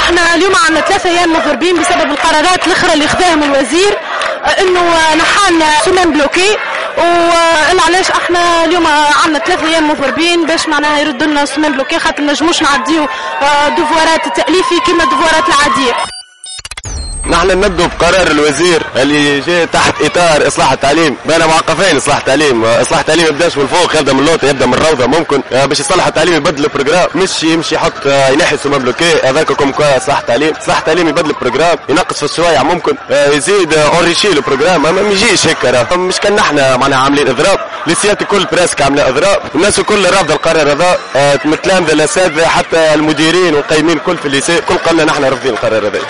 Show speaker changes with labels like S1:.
S1: احنا اليوم عندنا 3 ايام مضربين بسبب القرارات الاخرى اللي خذاهم الوزير، انه نحالنا semaine bloquée. وعلاش احنا اليوم عندنا 3 ايام مضربين؟ باش معناها يردوا لنا semaine bloquée، خاطر نجموش نعديو devoir ات التاليفي كما devoir ات العاديه.
S2: نحن ننددوا بقرار الوزير اللي جاء تحت اطار اصلاح التعليم. بين معقفين اصلاح التعليم، اصلاح التعليم يبداش من الفوق، يبدا من اللوطه، يبدا من الروضة ممكن. باش يصلح التعليم يبدل ال programme، مش يمشي يحط ينحي semaine bloquée. هذاك comme quoi اصلاح التعليم. اصلاح التعليم يبدل ال programme، ينقص في السوايع، ممكن يزيد enrichir le programme، ما يجيش هيك. مش كان نحن معناها عاملين اضراب، lycée ات الكل presque عامله اضراب، الناس الكل رافضه القرار هذا، التلامذه، الاساتذه، حتى المديرين والقيمين الكل في ال lycée كل قالنا نحن رافضين القرار هذا.